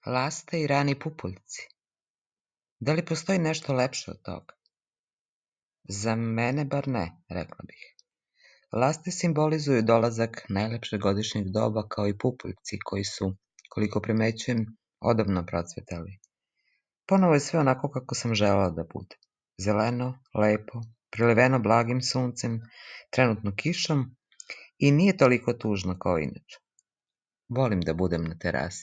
Laste i rani pupoljci. Da li postoji nešto lepše od toga? Za mene bar ne, rekla bih. Laste simbolizuju dolazak najlepšeg godišnjeg doba kao i pupoljci koji su, koliko primećujem, odavno procvetali. Ponovo je sve onako kako sam želela da bude. Zeleno, lepo, priliveno blagim suncem, trenutno kišom i nije toliko tužno kao inače. Volim da budem na terasi.